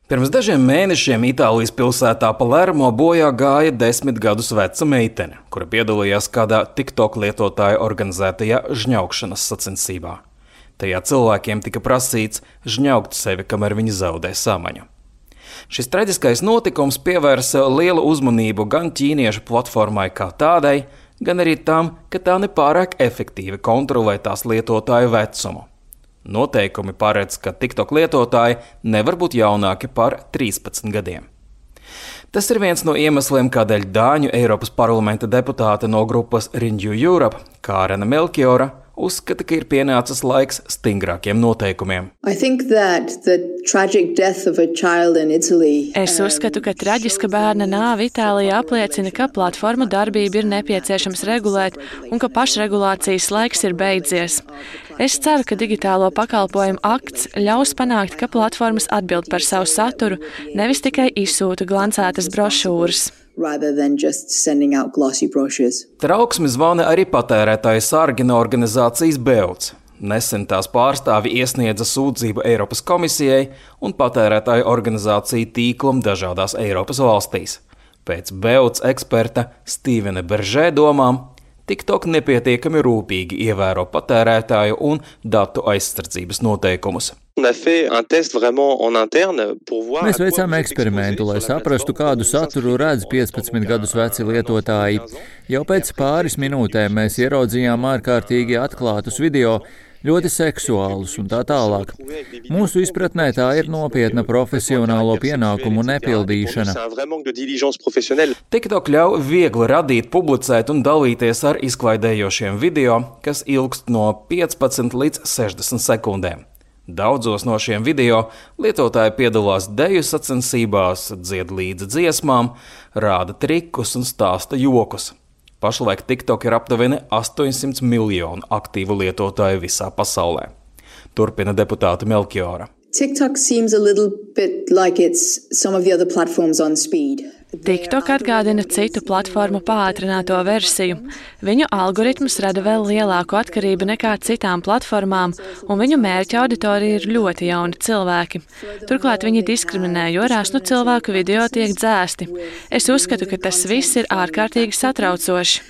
Pirms dažiem mēnešiem Itālijas pilsētā Palermo bojā gāja 10 gadus veca meitene, kura piedalījās kādā TikTok lietotāja organizētajā žņaukšanas sacensībā. Tajā cilvēkiem tika prasīts žņaukt sevi, kamēr viņi zaudē samaņu. Šis traģiskais notikums pievērsa lielu uzmanību gan ķīniešu platformai kā tādai, gan arī tam, ka tā nepārāk efektīvi kontrolē tās lietotāju vecumu. Noteikumi paredz, ka TikTok lietotāji nevar būt jaunāki par 13 gadiem. Tas ir viens no iemesliem, kādēļ Dāņu Eiropas parlamenta deputāte no grupas Renew Europe, Kārena Melchiora, uzskata, ka ir pienācis laiks stingrākiem noteikumiem. Es uzskatu, ka traģiska bērna nāve Itālijā apliecina, ka platformu darbību ir nepieciešams regulēt un ka pašregulācijas laiks ir beidzies. Es ceru, ka digitālo pakalpojumu akts ļaus panākt, ka platformas atbild par savu saturu, nevis tikai izsūta glancētas brošūras. Trauksmi zvana arī patērētāju sargi no organizācijas Beots. Nesen tās pārstāvi iesniedza sūdzību Eiropas komisijai un patērētāju organizāciju tīklam dažādās Eiropas valstīs. Pēc Beots eksperta Stīvena Beržē domām, TikTok nepietiekami rūpīgi ievēro patērētāju un datu aizsardzības noteikumus. Mēs veicām eksperimentu, lai saprastu, kādu saturu redz 15 gadus veci lietotāji. Jau pēc pāris minūtēm mēs ieraudzījām ārkārtīgi atklātus video, ļoti seksuālus un tā tālāk. Mūsu izpratnē tā ir nopietna profesionālo pienākumu nepildīšana. TikTok ļauj viegli radīt, publicēt un dalīties ar izklaidējošiem video, kas ilgst no 15 līdz 60 sekundēm. Daudzos no šiem video lietotāji piedalās deju sacensībās, dzied līdzi dziesmām, rāda trikus un stāsta jokus. Pašlaik TikTok ir aptuveni 800 miljonu aktīvu lietotāju visā pasaulē. Turpina deputāte Melchiora. TikTok seems a little bit like it's some of the other platforms on speed. TikTok atgādina citu platformu pātrināto versiju. Viņu algoritms rada vēl lielāku atkarību nekā citām platformām, un viņu mērķa auditorija ir ļoti jauni cilvēki. Turklāt viņi diskriminē, jo rāsnu cilvēku video tiek dzēsti. Es uzskatu, ka tas viss ir ārkārtīgi satraucoši.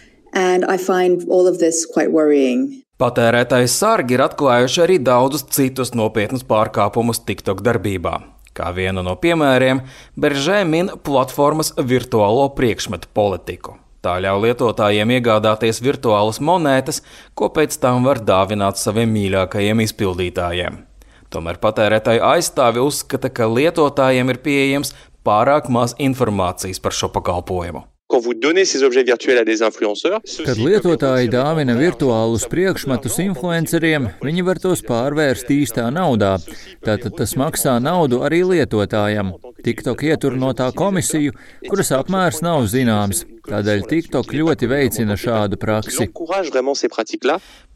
Patērētāju sargi ir atklājuši arī daudzus citus nopietnus pārkāpumus TikTok darbībā. Kā vienu no piemēriem, Beržē min platformas virtuālo priekšmetu politiku. Tā ļauj lietotājiem iegādāties virtuālas monētas, ko pēc tam var dāvināt saviem mīļākajiem izpildītājiem. Tomēr patērētāju aizstāvi uzskata, ka lietotājiem ir pieejams pārāk maz informācijas par šo pakalpojumu. Kad lietotāji dāvina virtuālus priekšmetus influenceriem, viņi var tos pārvērst īstā naudā. Tātad tas maksā naudu arī lietotājam. TikTok ietur no tā komisiju, kuras apmērs nav zināms. Tādēļ TikTok ļoti veicina šādu praksi.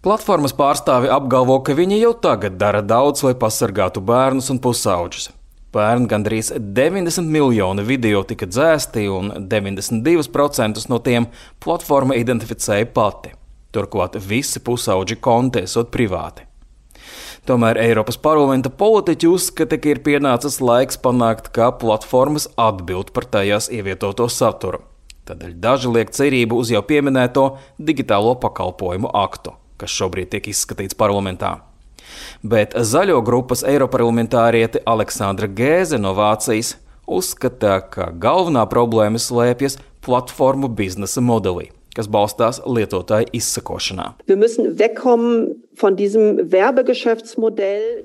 Platformas pārstāvi apgalvo, ka viņi jau tagad dara daudz, lai pasargātu bērnus un pusauģus. Pērn gandrīz 90 miljoni video tika dzēsti un 92% no tiem platforma identificēja pati. Turklāt visi pusauģi konti esot privāti. Tomēr Eiropas parlamenta politiķi uzskata, ka ir pienācis laiks panākt, ka platformas atbild par tajās ievietoto saturu. Tādēļ daži liek cerību uz jau pieminēto digitālo pakalpojumu aktu, kas šobrīd tiek izskatīts parlamentā. Bet zaļo grupas eiroparlamentāriete Aleksandra Gēze no Vācijas uzskata, ka galvenā problēma slēpjas platformu biznesa modelī, kas balstās lietotāju izsekošanā.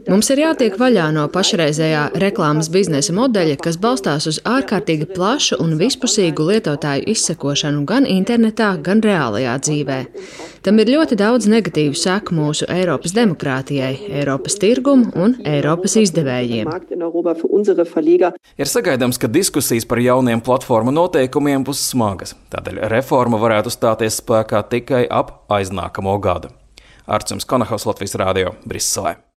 Mums ir jātiek vaļā no pašreizējā reklāmas biznesa modeļa, kas balstās uz ārkārtīgi plašu un vispusīgu lietotāju izsekošanu gan internetā, gan reālajā dzīvē. Tam ir ļoti daudz negatīvu seku mūsu Eiropas demokrātijai, Eiropas tirgumu un Eiropas izdevējiem. Ir sagaidāms, ka diskusijas par jauniem platformu noteikumiem būs smagas, tādēļ reforma varētu stāties spēkā tikai ap aiznākamo gadu. Artjums Konahaus, Latvijas Rādio, Briselē.